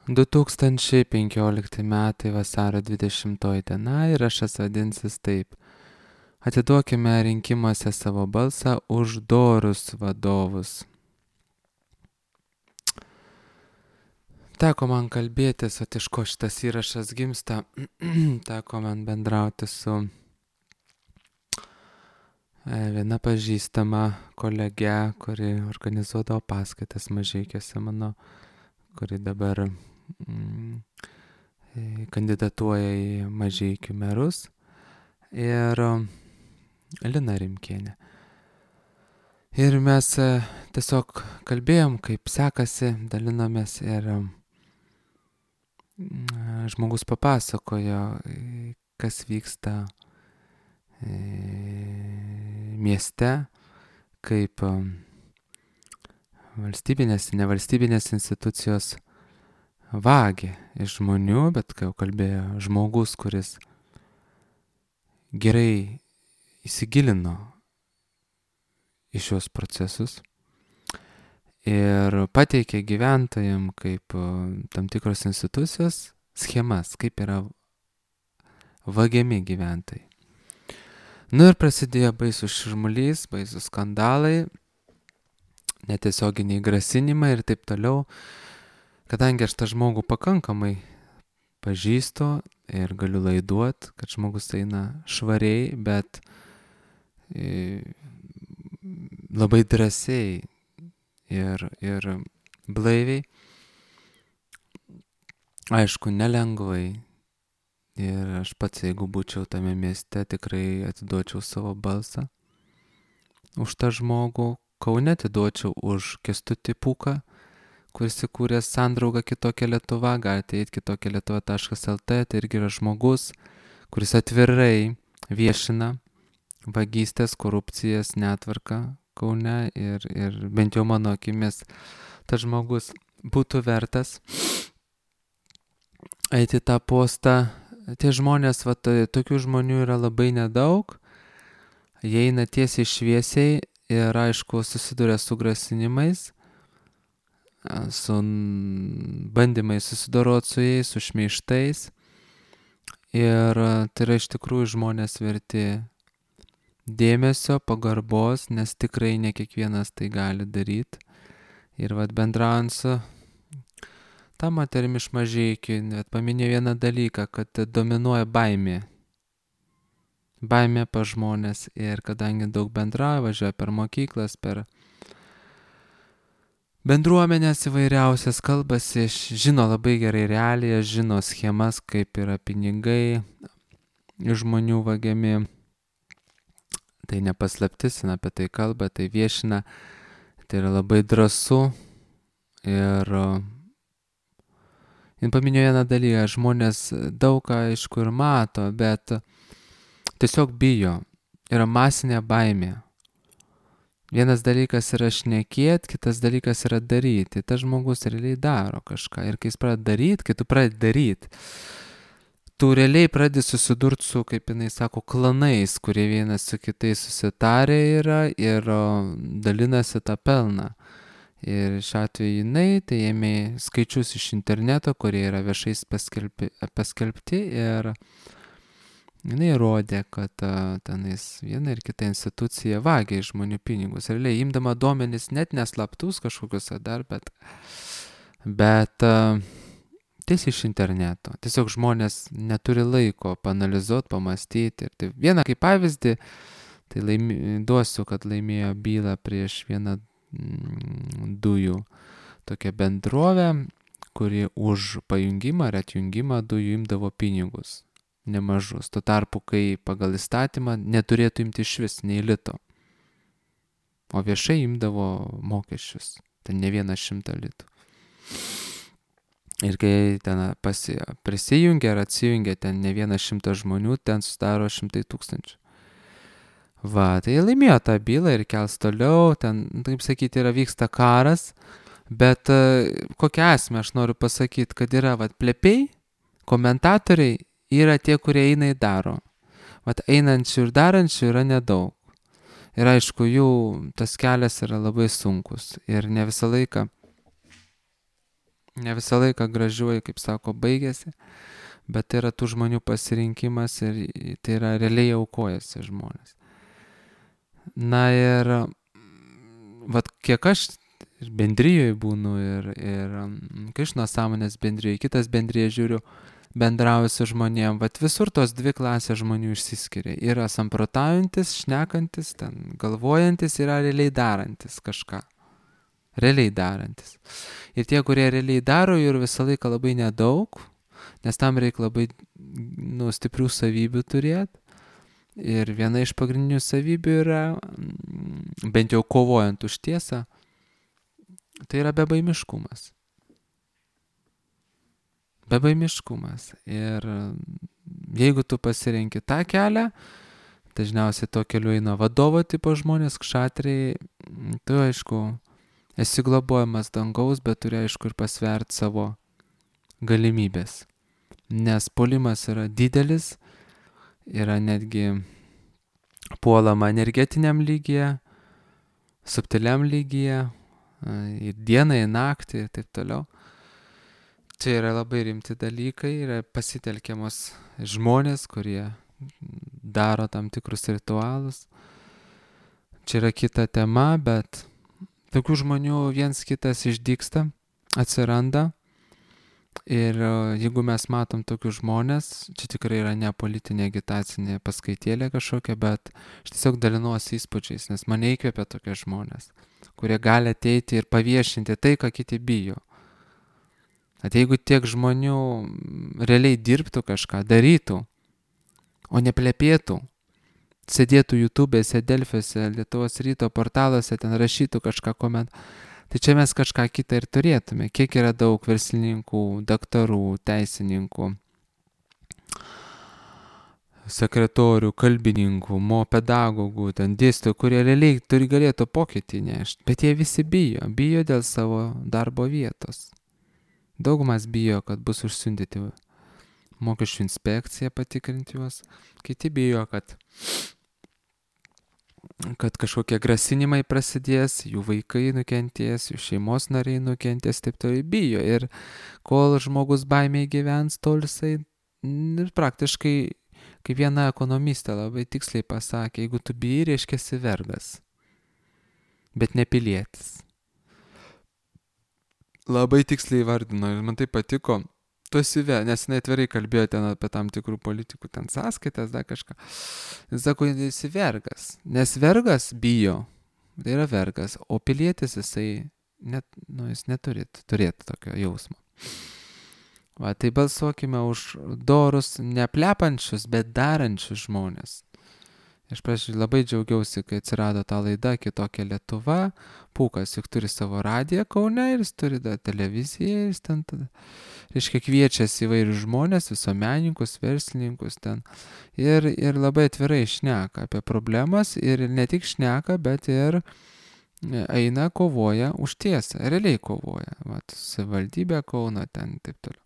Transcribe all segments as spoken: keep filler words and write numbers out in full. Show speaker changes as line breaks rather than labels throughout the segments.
du tūkstančiai penkiolikti metai vasario dvidešimtoji diena ir aš vadinsis taip. Atiduokime rinkimuose savo balsą už dorus vadovus. Teko man kalbėtis, o iš ko šitas įrašas gimsta, teko man bendrauti su viena pažįstama kolege, kuri organizuodavo paskaitas Mažeikiuose mano, kuri dabar mm, kandidatuoja į Mažeikių merus, ir Lina Rimkienė. Ir mes tiesiog kalbėjom, kaip sekasi, dalinomės, ir žmogus papasakojo, kas vyksta mieste, kaip valstybinės, nevalstybinės institucijos vagia iš žmonių, bet kai jau kalbėjo žmogus, kuris gerai įsigilino į šios procesus ir pateikė gyventojam kaip tam tikros institucijos schemas, kaip yra vagiami gyventojai. Nu ir prasidėjo baisus šurmulys, baisus skandalai, netiesioginiai grasinimai ir taip toliau. Kadangi aš tą žmogų pakankamai pažįstu ir galiu laiduot, kad žmogus eina švariai, bet labai drąsiai ir, ir blaiviai, aišku, nelengvai. Ir aš pats, jeigu būčiau tame mieste, tikrai atiduočiau savo balsą už tą žmogų. Kaune atiduočiau už Kęstutį Pūką, kuris įkūrė sandraugą Kitokia Lietuva. Galite eiti kitokia lietuva taškas lt, tai irgi yra žmogus, kuris atvirai viešina vagystės, korupcijas, netvarką Kaune, ir, ir bent jau mano akimis tas žmogus būtų vertas eiti tą postą. Tie žmonės, va, tokių žmonių yra labai nedaug, jie eina tiesiai šviesiai ir, aišku, susiduria su grasinimais, su bandymais susidoroti su jais, su šmeižtais, ir tai yra iš tikrųjų žmonės verti dėmesio, pagarbos, nes tikrai ne kiekvienas tai gali daryti. Ir vat bendraujant su ta moterim iš Mažeikių, net paminėjau vieną dalyką, kad dominuoja baimė. Baimė pa žmonės, ir kadangi daug bendrauja, važiuoja per mokyklas, per bendruomenės įvairiausias, kalbasi, žino labai gerai realijas, žino schemas, kaip yra pinigai iš žmonių vagiami. Tai nepaslaptis, apie tai kalba, tai viešina, tai yra labai drąsu. Ir jin paminėjo vieną dalyką, žmonės daug ką aišku ir mato, bet tiesiog bijo, yra masinė baimė. Vienas dalykas yra šnekėti, kitas dalykas yra daryti. Tas žmogus realiai daro kažką, ir kai jis pradeda daryti, kai tu pradedi daryti, tu realiai pradedi susidurti su, kaip jinai sako, klanais, kurie vienas su kitais susitarę yra ir dalinasi tą pelną. Ir šiuo atveju jinai tai ėmė skaičius iš interneto, kurie yra viešai paskelbti, paskelbti, ir jinai rodė, kad tenais viena ir kita institucija vagia iš žmonių pinigus. Realiai imdama duomenis net neslaptus kažkokius dar, bet, bet tiesiai iš interneto. Tiesiog žmonės neturi laiko paanalizuoti, pamastyti. Ir tai vieną kaip pavyzdį, tai laimi, duosiu, kad laimėjo bylą prieš vieną dujų tokią bendrovę, kuri už pajungimą ar atjungimą dujų imdavo pinigus nemažus. Tuo tarpu, kai pagal įstatymą neturėtų imti iš vis nei lito, o viešai imdavo mokesčius, ten ne vieną šimtą litų. Ir kai ten pasi, prisijungia ar atsijungia ten ne vieną šimtą žmonių, ten sudaro šimtai tūkstančių. Va, tai laimėjo tą bylą ir kels toliau, ten, taip sakyti, yra vyksta karas, bet uh, kokią esmę aš noriu pasakyti, kad yra, vat, plepiai, komentatoriai yra tie, kurie eina į daro. Vat, einančių ir darančių yra nedaug. Ir aišku, jų tas kelias yra labai sunkus ir ne visą laiką ne visą laiką gražiuoju, kaip sako, baigėsi, bet tai yra tų žmonių pasirinkimas ir tai yra realiai aukojasi žmonės. Na ir vat kiek aš ir bendrijoje būnu ir, ir Krišnos sąmonės bendrijoje, kitas bendrijoje žiūriu, bendrauju su žmonėm, vat visur tos dvi klasės žmonių išsiskiria. Yra samprotaujantis, šnekantis, ten galvojantis, yra realiai darantis kažką. Realiai darantis. Ir tie, kurie realiai daro, jų visą laiką labai nedaug, nes tam reikia labai nu, stiprių savybių turėti. Ir viena iš pagrindinių savybių yra, bent jau kovojant už tiesą, tai yra bebaimiškumas. Bebaimiškumas. Ir jeigu tu pasirenki tą kelią, dažniausiai to keliu eina vadovo tipo žmonės, kšatriai, tu aišku, esi globojamas dangaus, bet turi aišku ir pasverti savo galimybės. Nes puolimas yra didelis, yra netgi puolama energetiniam lygyje, subtiliam lygyje, ir dieną, ir naktį, ir taip toliau. Čia yra labai rimti dalykai, yra pasitelkiamos žmonės, kurie daro tam tikrus ritualus. Čia yra kita tema, bet tokių žmonių viens kitas išdygsta, atsiranda. Ir jeigu mes matom tokius žmonės, čia tikrai yra ne politinė agitacinė paskaitėlė kažkokia, bet aš tiesiog dalinuosi įspūdžiais, nes mane įkvepia tokie žmonės, kurie gali ateiti ir paviešinti tai, ką kiti bijo. At jeigu tiek žmonių realiai dirbtų kažką, darytų, o ne plepėtų, sėdėtų YouTube'se, Delfiuose, Lietuvos ryto portaluose, ten rašytų kažką komentuoti, tai čia mes kažką kitą ir turėtume. Kiek yra daug verslininkų, daktarų, teisininkų, sekretorių, kalbininkų, mo pedagogų, ten dėstytojų, kurie realiai turi galėtų pokytį nešti, bet jie visi bijo, bijo dėl savo darbo vietos. Daugumas bijo, kad bus užsiundyti mokesčių inspekcija patikrinti juos, kiti bijo, kad kad kažkokie grasinimai prasidės, jų vaikai nukentės, jų šeimos nariai nukentės, taip toliau bijo. Ir kol žmogus baimėj gyvens, tol jisai ir praktiškai, kaip viena ekonomistė labai tiksliai pasakė, jeigu tu bijai, reiškia esi vergas, bet ne pilietis. Labai tiksliai vardino ir man tai patiko. Tu esi ve, nes jinai atvirai kalbėjo ten apie tam tikrų politikų, ten sąskaitas, dar kažką. Jis sako, jis esi vergas, nes vergas bijo, tai yra vergas, o pilietis jisai, net, nu, jis neturi turėti tokio jausmo. Va, tai balsuokime už dorus, neplepančius, bet darančius žmonės. Aš prašau, labai džiaugiausi, kai atsirado ta laida Kitokia Lietuva. Pūkas juk turi savo radiją Kaune ir jis turi da, televiziją. Jis ten, tada, reiškia, kviečiasi įvairius žmonės, visuomenininkus, verslininkus ten. Ir, ir labai atvirai šneka apie problemas ir ne tik šneka, bet ir eina kovoja už tiesą. Realiai kovoja. Vat, savivaldybė Kauno ten taip toliau.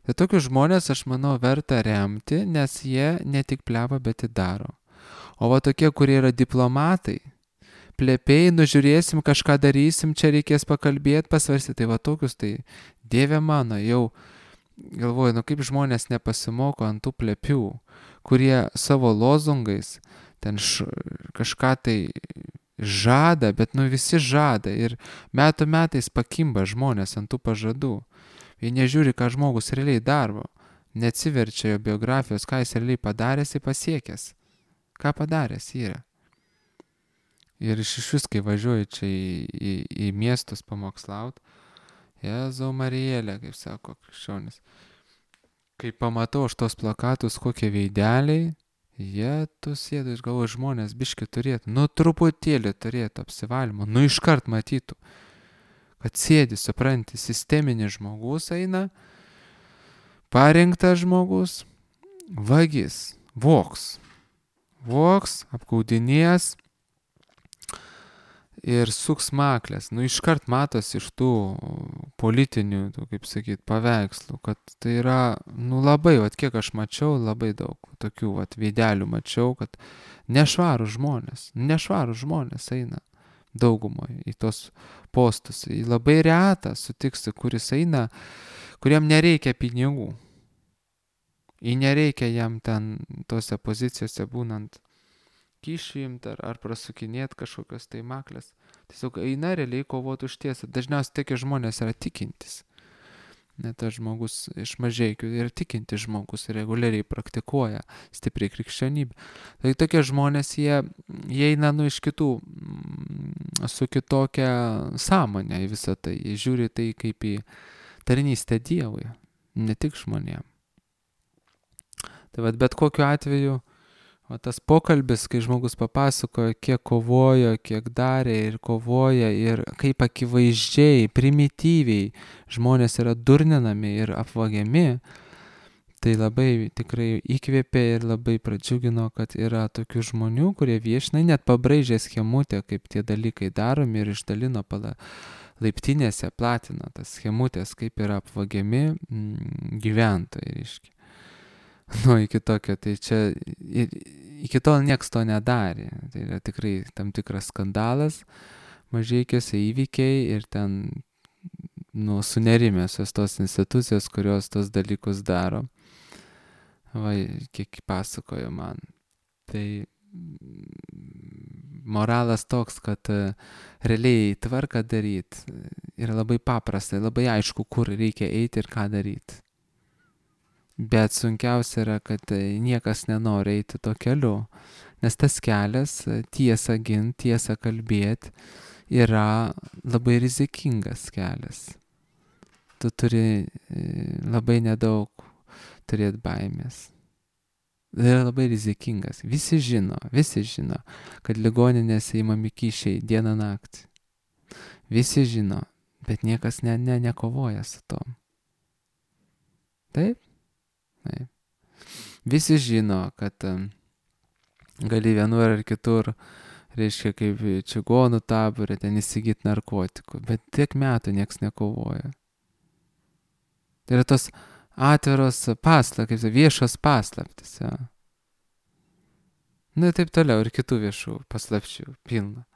Tai tokius žmonės, aš manau, verta remti, nes jie ne tik pleva, bet ir daro. O va tokie, kurie yra diplomatai, plėpiai, nužiūrėsim, kažką darysim, čia reikės pakalbėti, pasvarstyti, tai va tokius, tai Dieve mano, jau galvoju, nu kaip žmonės nepasimoko ant tų plėpių, kurie savo lozungais ten š, kažką tai žada, bet nu visi žada ir metų metais pakimba žmonės ant tų pažadų. Jie nežiūri, ką žmogus realiai daro, neatsiverčia jo biografijos, ką jis realiai padaręs ir pasiekęs. Ką padaręs yra. Ir iš vis, kai važiuoju čia į, į, į miestus pamokslaut, Jėzau Marijėlė, kaip sako krikščionis, kai pamatau aš tos plakatus, kokie veideliai, jie tu sėdu, iš galvo žmonės biški turėtų, nu truputėlį turėtų apsivalymo, nu iškart matytų, kad sėdi, supranti, sisteminis žmogus eina, parinktas žmogus, vagis, voks. Voks, apgaudinės ir suks maklės. Nu, iškart matosi iš tų politinių, tų, kaip sakyt, paveikslų, kad tai yra, nu, labai, vat kiek aš mačiau, labai daug tokių, vat, veidelių mačiau, kad nešvarų žmonės, nešvarų žmonės eina. daugumoje, į tos postus. Į labai retą sutiksi, kuris eina, kuriam nereikia pinigų. Į nereikia jam ten tose pozicijose būnant kyšį imti ar, ar prasukinėti kažkokios tai maklės. Tiesiog eina realiai kovoti už tiesą. Dažniausiai tokie žmonės yra tikintis. Net tas žmogus iš Mažeikių yra tikintis žmogus ir reguliariai praktikuoja stipriai krikščionybę. Tai tokie žmonės, jie, jie eina nu iš kitų, su kitokia sąmonė į visą tai. Jie žiūri tai kaip į tarnystę Dievui, ne tik žmonėm. Tai vat bet kokiu atveju, o tas pokalbis, kai žmogus papasakoja, kiek kovojo, kiek darė ir kovoja ir kaip akivaizdžiai, primityviai žmonės yra durninami ir apvagiami, tai labai tikrai įkvėpė ir labai pradžiugino, kad yra tokių žmonių, kurie viešina, net pabraižė schemutę, kaip tie dalykai daromi ir išdalino pala laiptinėse, platino tas schemutės, kaip yra apvagiami mm, gyventojai, reiškia. Nu, iki tokio, tai čia, iki tol nieks to nedarė. Tai yra tikrai tam tikras skandalas, Mažeikiuose įvykiai ir ten, nu, sunerimėsios tos institucijos, kurios tos dalykus daro. Va, kiek pasakojo man. Tai moralas toks, kad realiai tvarką daryti yra labai paprasta, labai aišku, kur reikia eiti ir ką daryti. Bet sunkiausia yra, kad niekas nenori eiti to keliu, nes tas kelias, tiesą gint, tiesą kalbėti, yra labai rizikingas kelias. Tu turi labai nedaug turėti baimės. Tai yra labai rizikingas. Visi žino, visi žino, kad ligoninėse įmami kyšiai dieną naktį. Visi žino, bet niekas ne, ne, nekovoja su tom. Taip? Taip. Visi žino, kad um, gali vienur ar kitur, reiškia, kaip čigonų taborė, ten įsigyti narkotikų, bet tiek metų nieks nekovoja. Tai yra tos atviros paslaptys, kaip viešos paslaptys. Ja. Na ir taip toliau, ir kitų viešų paslapčių pilna.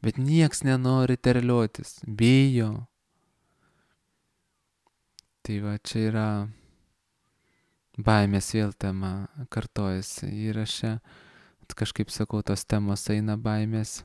Bet nieks nenori terliotis, bijo. Tai va, čia yra baimės vėl tema kartojasi įraše. Kažkaip sakau, tos temos eina baimės.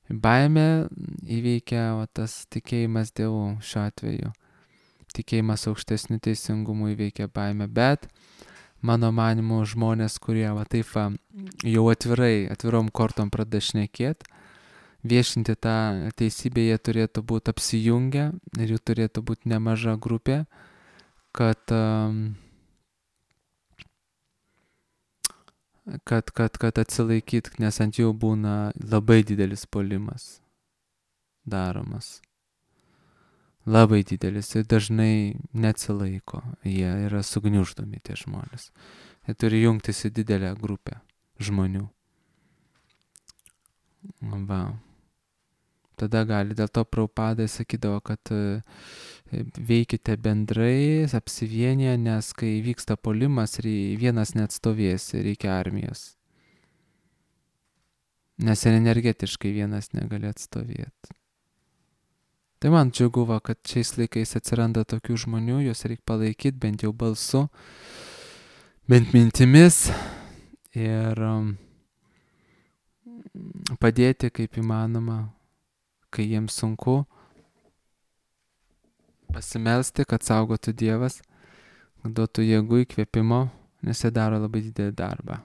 Baimė įveikia o, tas tikėjimas Dievu šiuo atveju. Tikėjimas aukštesnių teisingumų įveikia baimę, bet mano manimu žmonės, kurie va, taip va, jau atvirai, atvirom kortom pradeda šnekėti, viešinti tą teisybę, jie turėtų būti apsijungę ir jų turėtų būti nemaža grupė, kad, kad, kad, kad atsilaikyt, nes ant jų būna labai didelis puolimas daromas. Labai didelis ir dažnai neatsilaiko, jie yra sugniuždomi tie žmonės. Jie turi jungtis į didelę grupę žmonių. Va. Tada gali, dėl to Prabhupada sakydavo, kad veikite bendrai, apsivienyje, nes kai vyksta puolimas, vienas neatstovės, reikia armijos. Nes ir energetiškai vienas negali atstovėti. Tai man džiugu, va, kad šiais laikais atsiranda tokių žmonių, juos reikia palaikyti bent jau balsu, bent mintimis ir um, padėti kaip įmanoma, kai jiems sunku, pasimelsti, kad saugotų Dievas, duotų jėgų įkvėpimo, nes jie daro labai didelį darbą.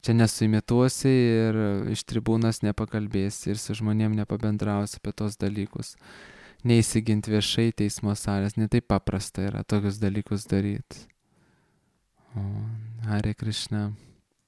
Čia nesuimituosi ir iš tribūnos nepakalbėsi ir su žmonėm nepabendrausi apie tos dalykus. Neįsigint viešai teismo salės, ne taip paprasta yra tokius dalykus daryti. O, Hare Krishna.